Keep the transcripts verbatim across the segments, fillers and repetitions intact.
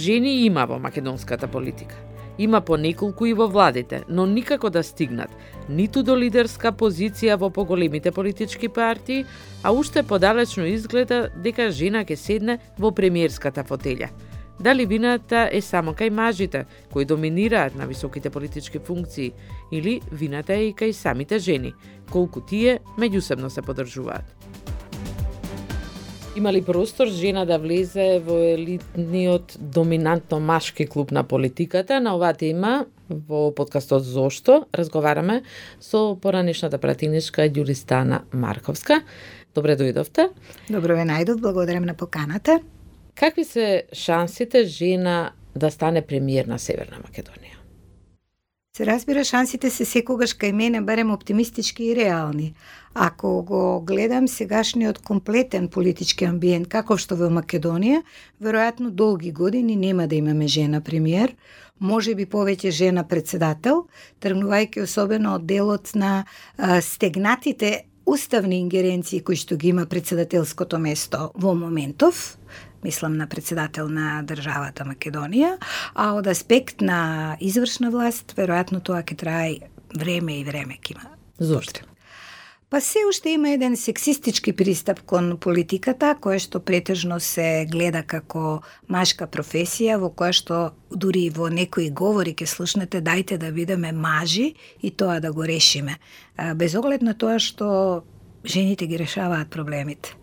Жени има во македонската политика. Има по неколку и во владите, но никако да стигнат ниту до лидерска позиција во поголемите политички партии, а уште подалечно изгледа дека жена ќе седне во премиерската фотелја. Дали вината е само кај мажите, кои доминираат на високите политички функции, или вината е и кај самите жени, колку тие меѓусебно се поддржуваат? Има ли простор жена да влезе во елитниот доминантно машки клуб на политиката? На оваа тема во подкастот Зошто разговараме со поранешната пратеничка Ѓуристана Марковска. Добре дојдовте. Добро ве најдов, благодарам на поканата. Какви се шансите жена да стане премиер на Северна Македонија? Се разбира, шансите се секогаш кај мене барем оптимистички и реални. Ако го гледам сегашниот комплетен политички амбиент каков што во Македонија, веројатно долги години нема да имаме жена премиер, може би повеќе жена председател, тргнувајќи особено од делот на а, стегнатите уставни ингеренции кои што ги има председателското место во моментов, мислам на председател на државата Македонија, а од аспект на извршна власт, веројатно тоа ќе трае време и време ќе има. Зошто? Па се уште има еден сексистички пристап кон политиката, која што претежно се гледа како машка професија, во која што дури во некои говори ќе слушнете дајте да бидеме мажи и тоа да го решиме. Без оглед на тоа што жените ги решаваат проблемите.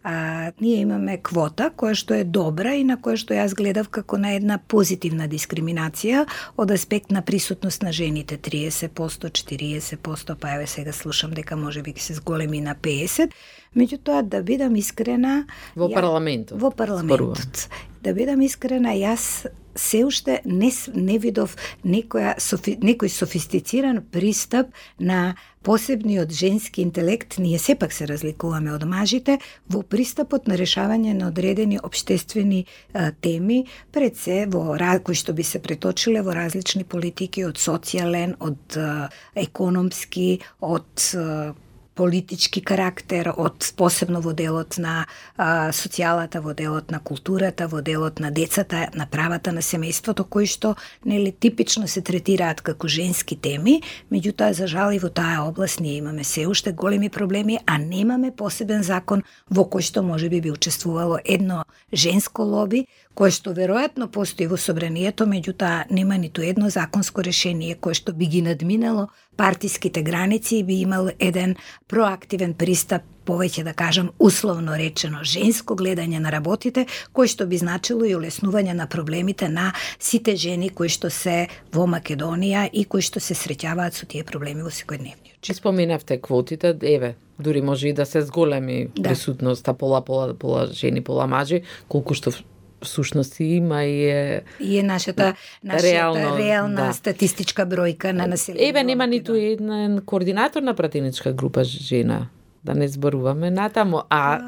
А, ние имаме квота која што е добра и на која што јас гледав како на една позитивна дискриминација од аспект на присутност на жените триесет проценти, четириесет проценти, па еве сега слушам дека може би ќе се зголеми на песет проценти. Меѓутоа, да бидам искрена... Во парламентот. Во парламентот. Да бидам искрена, јас се уште не, не видов некоја, софи, некој софистициран пристап на посебниот женски интелект, ние сепак се разликуваме од мажите, во пристапот на решавање на одредени обштествени а, теми, пред се во кои што би се преточиле во различни политики, од социјален, од а, економски, од а, политички карактер, од посебно во делот на а, социјалата, во делот на културата, во делот на децата, на правата на семејството, кои што нели типично се третираат како женски теми, меѓутоа за жал и во таа област ние имаме се уште големи проблеми, а немаме посебен закон во кој што можеби би учествувало едно женско лоби, кое што веројатно постои во собранието, меѓутоа нема ниту едно законско решение кое што би ги надминало партиските граници и би имал еден проактивен пристап, повеќе да кажам условно речено женско гледање на работите, кој што би значило и олеснување на проблемите на сите жени кои што се во Македонија и кои што се среќаваат со тие проблеми во секојдневниот живот. Споменавте квотите, еве, дури може и да се зголеми да. Присутноста пола пола пола жени, пола мажи, колку што всушност има и е... И е нашата, нашата реално, реална да. Статистичка бројка на населението. Еве, нема ниту еден координатор на пратеничка група жена, да не зборуваме натаму, а...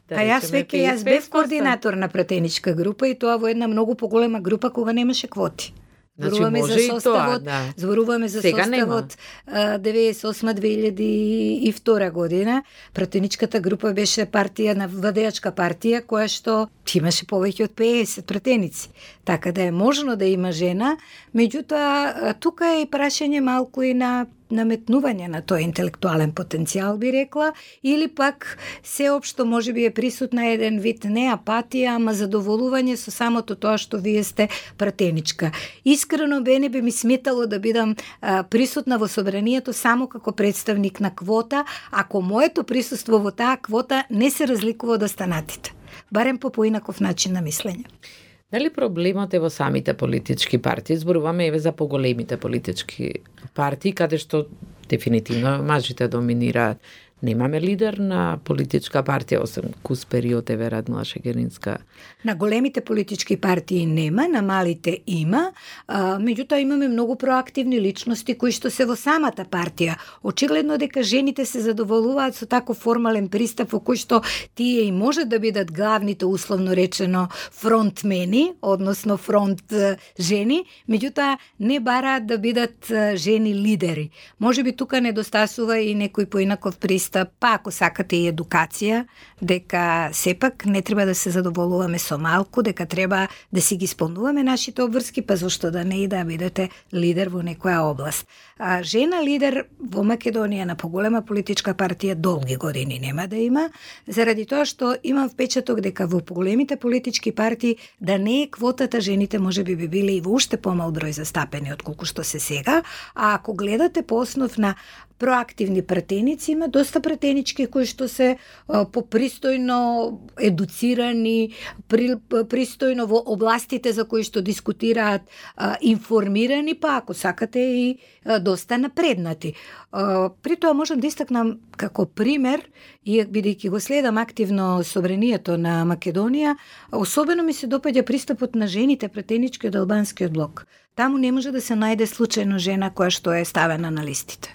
Да, а јас веќе јас бев координатор на пратеничка група и тоа во една многу поголема група кога немаше квоти. Зборуваме значи, за составот, тоа, да. зборуваме за Сега составот деветдесет и осма две илјади и втора година. Пратеничката група беше партија на владеачка партија која што имаше повеќе од песет пратеници. Така да е можно да има жена, меѓутоа тука е и прашање малку и на наметнување на тој интелектуален потенцијал, би рекла, или пак сеопшто може би е присутна еден вид не апатија, ама задоволување со самото тоа што вие сте пратеничка. Искрено бе би ми сметало да бидам а, присутна во собранието само како представник на квота, ако моето присуство во таа квота не се разликува од останатите. Барем по поинаков начин на мислење. Дали проблемот е во самите политички партии? Зборуваме еве за поголемите политички партии, каде што дефинитивно мажите доминираат. Немаме лидер на политичка партија, освен Кус период, еве Радмила Шегеринска. На големите политички партии нема, на малите има, а, меѓутоа имаме многу проактивни личности кои што се во самата партија. Очигледно дека жените се задоволуваат со тако формален пристап во кој што тие и може да бидат главните, условно речено, фронтмени, односно фронт жени, меѓутоа не бараат да бидат жени лидери. Може би тука недостасува и некој поинаков пристап пристап, па ако сакате и едукација, дека сепак не треба да се задоволуваме со малку, дека треба да си ги исполнуваме нашите обврски, па зошто да не и да бидете лидер во некоја област. А жена лидер во Македонија на поголема политичка партија долги години нема да има, заради тоа што имам впечаток дека во поголемите политички партии да не е квотата, жените можеби би били и во уште помал број застапени отколку што се сега, а ако гледате по основ на проактивни пратеници, има доста пратенички кои што се а, попристојно едуцирани, при, пристојно во областите за кои што дискутираат, а, информирани, па ако сакате и а, доста напреднати. А, при тоа можам да истакнам како пример, и бидејќи го следам активно собранието на Македонија, особено ми се допаѓа пристапот на жените пратенички од албанскиот блок. Таму не може да се најде случајно жена која што е ставена на листите.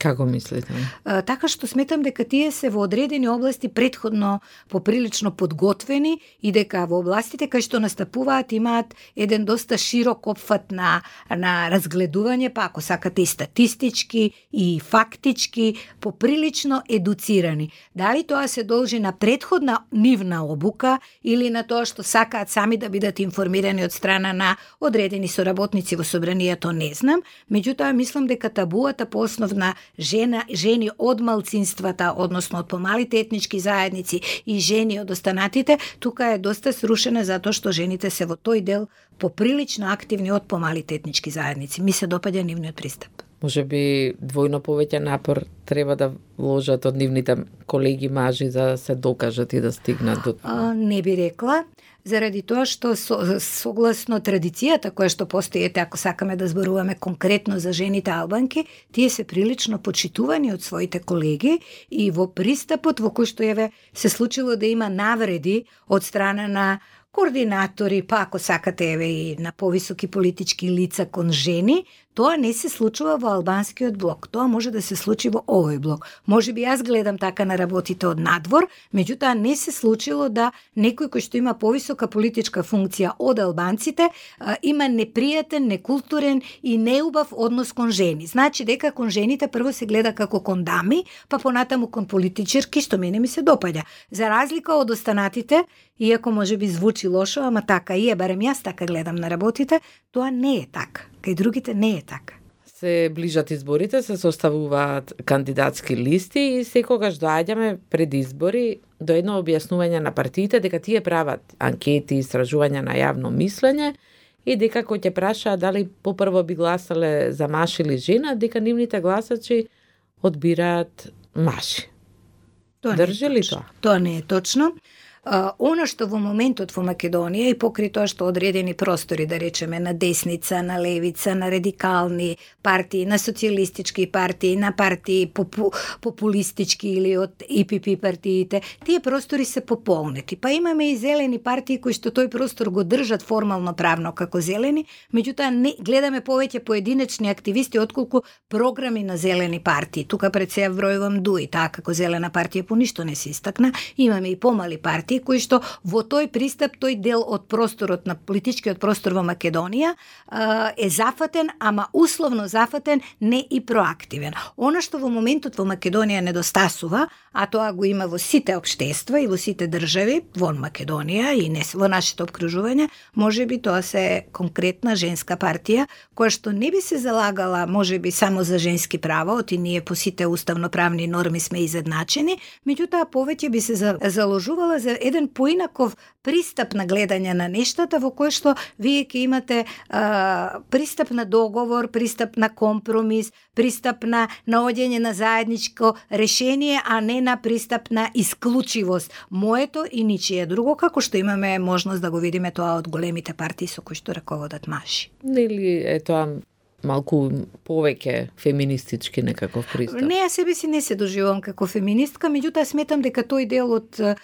Како мислите? А, така што сметам дека тие се во одредени области претходно поприлично подготвени и дека во областите кај што настапуваат имаат еден доста широк опфат на, на разгледување, па ако сакате и статистички и фактички, поприлично едуцирани. Дали тоа се должи на претходна нивна обука или на тоа што сакаат сами да бидат информирани од страна на одредени соработници во собранието, не знам. Меѓутоа мислам дека табуата по основ на жена, жени од малцинствата, односно од помалите етнички заедници и жени од останатите, тука е доста срушена затоа што жените се во тој дел поприлично активни од помалите етнички заедници. Ми се допаѓа нивниот пристап. Може би двојно повеќе напор треба да вложат од нивните колеги мажи за да се докажат и да стигнат до тоа. А, не би рекла, заради тоа што со, согласно традицијата која што постои, ете, ако сакаме да зборуваме конкретно за жените албанки, тие се прилично почитувани од своите колеги и во пристапот во кој што еве се случило да има навреди од страна на координатори, па ако сакате еве и на повисоки политички лица кон жени, тоа не се случува во албанскиот блок. Тоа може да се случи во овој блок. Може би јас гледам така на работите од надвор, меѓутоа не се случило да некој кој што има повисока политичка функција од албанците има непријатен, некултурен и неубав однос кон жени. Значи дека кон жените прво се гледа како кон дами, па понатаму кон политичарки, што мене ми се допаѓа. За разлика од останатите, иако може би звучи лошо, ама така и е, барем јас така гледам на работите, тоа не е така. Кај другите не е така. Се ближат изборите, се составуваат кандидатски листи и секогаш доаѓаме пред избори до едно објаснување на партиите дека тие прават анкети, истражувања на јавно мислење и дека кој ќе праша дали попрво би гласале за маж или жена, дека нивните гласачи одбираат мажи. Тоа Држи ли тоа? Тоа не е точно. Uh, оно што во моментот во Македонија и покри тоа што одредени простори, да речеме, на десница, на левица, на радикални партии, на социјалистички партии, на партии попу, популистички или од И Пи Пи партиите, тие простори се пополнети. Па имаме и зелени партии кои што тој простор го држат формално правно како зелени, меѓутоа не гледаме повеќе поединечни активисти отколку програми на зелени партии. Тука пред се вбројувам ДУИ, таа како зелена партија по ништо не се истакна. Имаме и помали партии кои што во тој пристап, тој дел од просторот на политичкиот простор во Македонија е зафатен, ама условно зафатен, не и проактивен. Она што во моментот во Македонија недостасува, а тоа го има во сите општества и во сите држави, во Македонија и не во нашето обкружување, можеби тоа се конкретна женска партија, која што не би се залагала можеби само за женски права, оти ние по сите уставноправни норми сме изедначени, меѓутоа повеќе би се заложувала за еден поинаков пристап на гледање на нештата, во кој што вие ќе имате а, пристап на договор, пристап на компромис, пристап на наоѓање на заедничко решение, а не на пристап на исклучивост. Моето и ничие друго, како што имаме можност да го видиме тоа од големите партии со кои што раководат мажи. Или е тоа малку повеќе феминистички некаков пристап? Не, ја себе си не се доживувам како феминистка, меѓутоа сметам дека тој дел од а,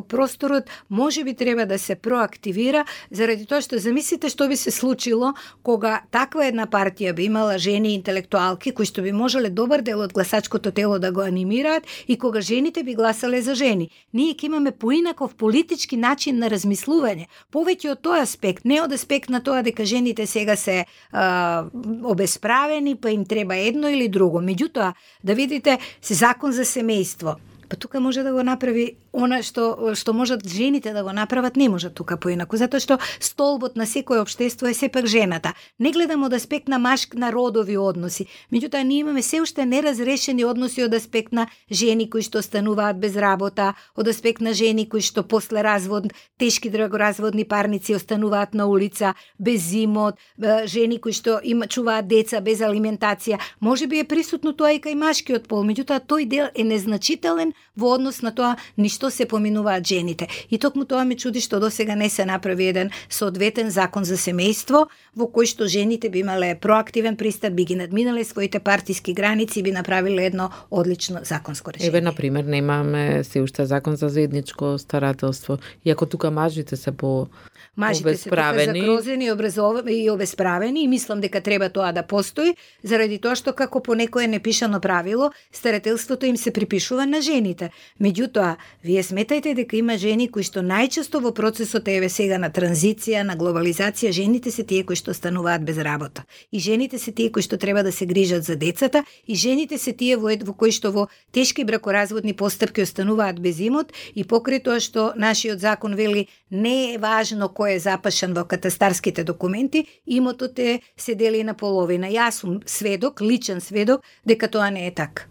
просторот може би треба да се проактивира, заради тоа што замислите што би се случило кога таква една партија би имала жени интелектуалки кои што би можеле добар дел од гласачкото тело да го анимираат и кога жените би гласале за жени. Ние ќе имаме поинаков политички начин на размислување, повеќе од тој аспект, не од аспект на тоа дека жените сега се а, обесправени, па им треба едно или друго. Меѓутоа, да видите, се закон за семејство. Па тука може да го направи она што што можат жените да го направат, не може тука поинаку, затоа што столбот на секој општество е сепак жената. Не гледам од аспект на машк на родови односи, меѓутоа ние имаме се уште неразрешени односи од аспект на жени кои што остануваат без работа, од аспект на жени кои што после развод, тешки драгоразводни парници остануваат на улица без имот, жени кои што има чуваат деца без алиментација. Можеби е присутно тоа и кај машкиот пол, меѓутоа тој дел е незначителен во однос на тоа ништо се поминуваат жените. И токму тоа ме чуди што досега не се направи еден соодветен закон за семејство во кој што жените би имале проактивен пристап, би ги надминале своите партиски граници и би направиле едно одлично законско решение. Еве, на пример, немаме се уште закон за заедничко старателство, иако тука мажите се по Мажите се тука закрозени и обесправени и мислам дека треба тоа да постои, заради тоа што како по некое непишано правило, старателството им се припишува на жените. Меѓутоа, вие сметајте дека има жени кои што најчесто во процесот еве сега на транзиција, на глобализација, жените се тие кои што стануваат без работа. И жените се тие кои што треба да се грижат за децата, и жените се тие во, во кои што во тешки бракоразводни постапки остануваат без имот, и покрај тоа што нашиот закон вели не е важно кој е запашен во катастарските документи, имотот е се дели на половина. Јас сум сведок, личен сведок, дека тоа не е така.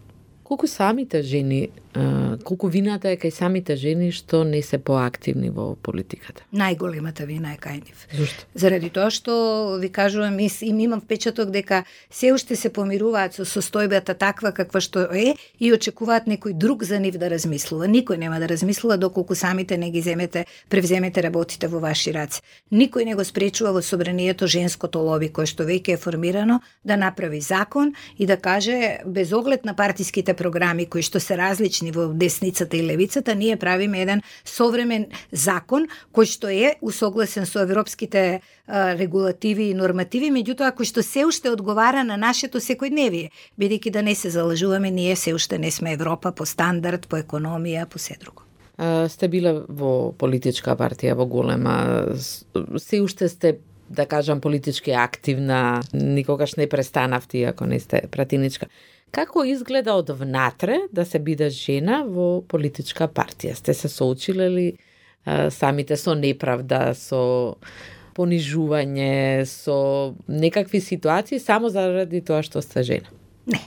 Колку самите жени, колку вината е кај самите жени што не се поактивни во политиката? Најголемата вина е кај нив. Зошто? Заради тоа што ви кажувам, и им имам впечаток дека се уште се помируваат со состојбата таква каква што е и очекуваат некој друг за нив да размислува. Никој нема да размислува доколку самите не ги земете, превземете работите во ваши раце. Никој не го спречува во собранието женското лоби кое што веќе е формирано да направи закон и да каже без оглед на партиските програми кои што се различни во десницата и левицата, ние правиме еден современ закон кој што е усогласен со европските а, регулативи и нормативи, меѓутоа кој што се уште одговара на нашето секојдневие, бидејќи да не се залажуваме, ние се уште не сме Европа по стандард, по економија, по се друго. А, сте биле во политичка партија, во голема, се уште сте, да кажам, политички активна, никогаш не престанавте, ако не сте пратиничка. Како изгледа од внатре да се биде жена во политичка партија? Сте се соочиле ли а, самите со неправда, со понижување, со некакви ситуации само заради тоа што сте жена? Не.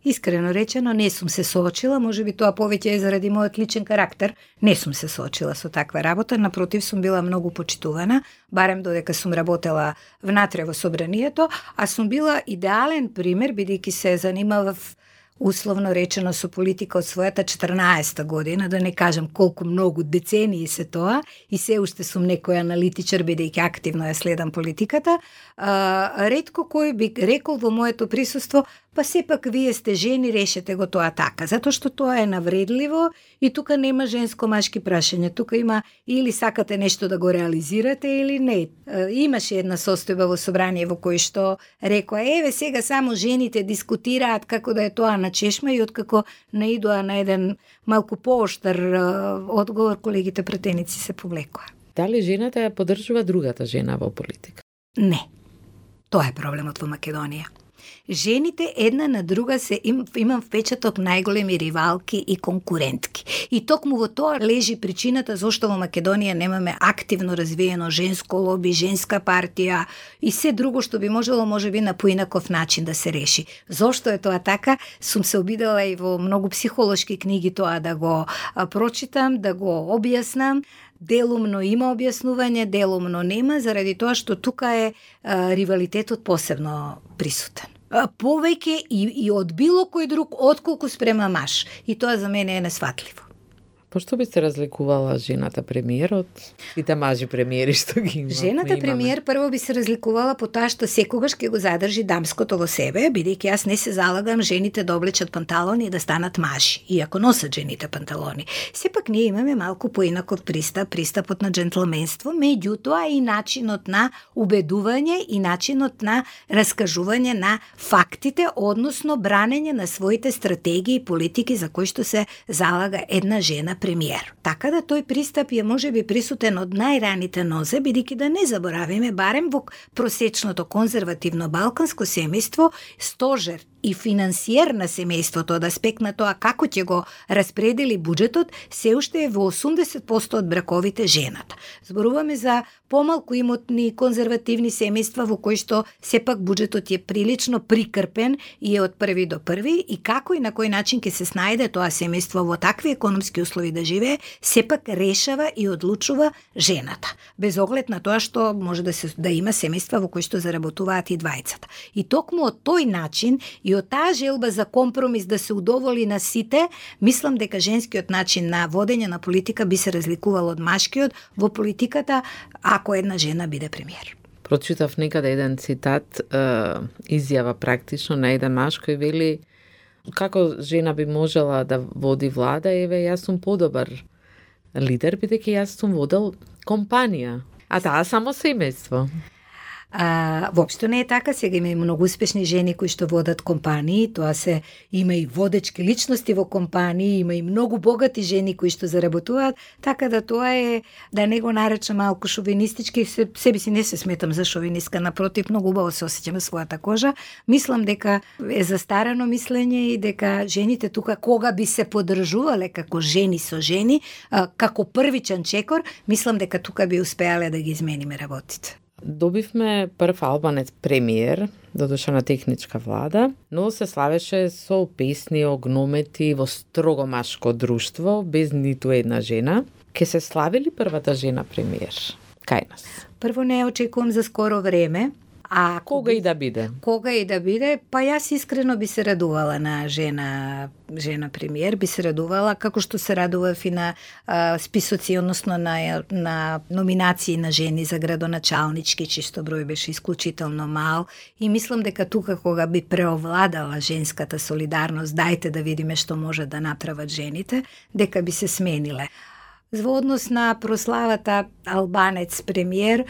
Искрено речено, не сум се соочила, можеби тоа повеќе е заради мојот личен карактер. Не сум се соочила со таква работа, напротив сум била многу почитувана, барем додека сум работела внатре во собранието, а сум била идеален пример, бидејќи се занимавав условно речено со политика од својата четрнаесета година, да не кажам колку многу децении се тоа, и се уште сум некој аналитичар, бидејќи активно ја следам политиката. А, ретко кој би рекол во моето присуство, па сепак вие сте жени, решете го тоа така, затоа што тоа е навредливо и тука нема женско-машки прашања, тука има или сакате нешто да го реализирате или не. А, имаше една состојба во собрание во кој што рекоа, еве сега само жените дискутираат како да е тоа на чешма, и откако наидоа на еден малку пооштар одговор, колегите пратеници се повлекоа. Дали жената ја поддржува другата жена во политика? Не. Тоа е проблемот во Македонија. Жените една на друга се им, имам впечаток најголеми ривалки и конкурентки. И токму во тоа лежи причината зошто во Македонија немаме активно развиено женско лоби, женска партија и се друго што би можело можеби на поинаков начин да се реши. Зошто е тоа така? Сум се обидела и во многу психолошки книги тоа да го а, прочитам, да го објаснам. Делумно има објаснување, делумно нема, заради тоа што тука е а, ривалитетот посебно присутен. А, повеќе и, и од било кој друг, отколку спрема маж. И тоа за мене е несватливо. Пошто би се разликувала жената премиер од сите мажи премиери што ги има? Жената премиер прво би се разликувала по тоа што секогаш ќе го задржи дамското во себе, бидејќи јас не се залагам жените да облечат панталони и да станат мажи, иако носат жените панталони. Сепак ние имаме малку поинаков пристап, пристапот на джентлменство, меѓутоа и начинот на убедување и начинот на раскажување на фактите, односно бранење на своите стратегии и политики за кои што се залага една жена премиер. Така да тој пристап е можеби присутен од најраните нозе, бидејќи да не заборавиме, барем во просечното конзервативно балканско семејство, стожер и финансиер на семејството од аспект на тоа како ќе го распредели буџетот, се уште е во осумдесет проценти од браковите жената. Зборуваме за помалку имотни конзервативни семејства во кои што сепак буџетот е прилично прикрпен и е од први до први, и како и на кој начин ќе се снајде тоа семејство во такви економски услови да живее, сепак решава и одлучува жената. Без оглед на тоа што може да се да има семејства во кои што заработуваат и двајцата. И токму од тој начин и од таа желба за компромис да се удоволи на сите, мислам дека женскиот начин на водење на политика би се разликувал од машкиот во политиката ако една жена биде премиер. Прочитав некаде еден цитат, е, изјава практично на еден маж кој вели како жена би можела да води влада, еве јас сум подобар лидер, бидејќи јас сум водел компанија, а таа само семејство. А, воопшто не е така, сега има и многу успешни жени кои што водат компании, тоа се има и водечки личности во компании, има и многу богати жени кои што заработуваат, така да тоа е, да не го наречам малку шовинистички, се, себе си не се сметам за шовинистка, напротив, многу убаво се осеќам својата кожа. Мислам дека е застарано мислење и дека жените тука кога би се подржувале како жени со жени, а, како првичен чекор, мислам дека тука би успеале да ги измениме работите. Добивме прв албанец премиер, додуша на техничка влада, но се славеше со песни, огномети во строго машко друштво, без ниту една жена. Ке се слави ли првата жена премиер кај нас? Прво не очекувам за скоро време. А кога и да биде? Кога и да биде, па јас искрено би се радувала на жена жена премиер, би се радувала како што се радував и на а, списоци, односно на, на номинации на жени за градоначалнички, чисто број беше исклучително мал, и мислам дека тука кога би преовладала женската солидарност, дајте да видиме што може да направат жените, дека би се смениле. Во однос на прославата албанец премиер,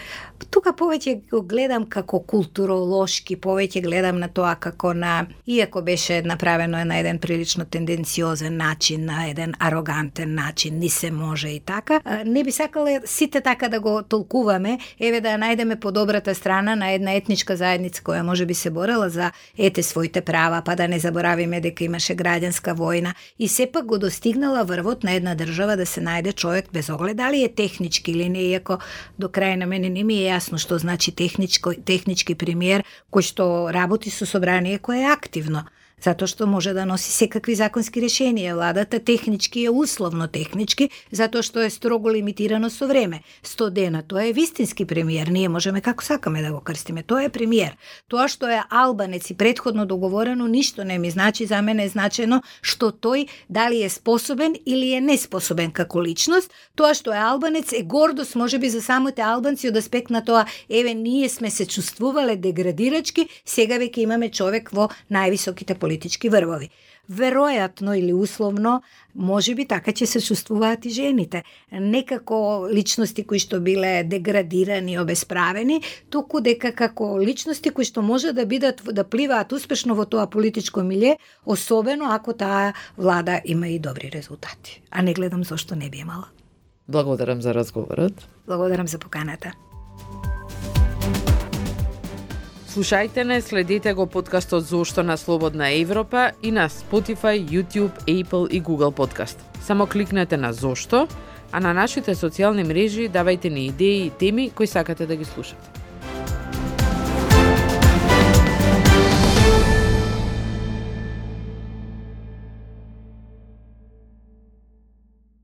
тука повеќе го гледам како културолошки, повеќе гледам на тоа како на, иако беше направено на еден прилично тенденциозен начин, на еден арогантен начин, ни се може и така, не би сакала сите така да го толкуваме, еве да најдеме подобрата страна на една етничка заедница која може би се борела за ете своите права, па да не заборавиме дека имаше граѓанска војна и сепак го достигнала врвот на една држава да се најде човек без оглед дали е технички или не, иако до крај на мене не ми е јасно што значи техничко, технички премиер кој што работи со собрание кое е активно, затоа што може да носи секакви законски решенија. Владата технички е условно технички, затоа што е строго лимитирано со време. сто дена, тоа е вистински премиер, ние можеме како сакаме да го крстиме, тоа е премиер. Тоа што е албанец и претходно договорено, ништо не ми значи, за мене е значено што тој дали е способен или е неспособен како личност. Тоа што е албанец е гордост можеби за самите албанци од аспект на тоа, еве ние сме се чувствувале деградирачки, сега веќе имаме човек во највисоките политички врвови. Веројатно или условно, може би така ќе се чувствуваат и жените. Не како личности кои што биле деградирани, обесправени, туку дека како личности кои што може да бидат да пливаат успешно во тоа политичко милје, особено ако таа влада има и добри резултати. А не гледам зошто не би имала. Благодарам за разговорот. Благодарам за поканата. Слушајте не, следете го подкастот Зошто на Слободна Европа и на Spotify, YouTube, Apple и Google Podcast. Само кликнете на Зошто, а на нашите социјални мрежи давајте ни идеи и теми кои сакате да ги слушате.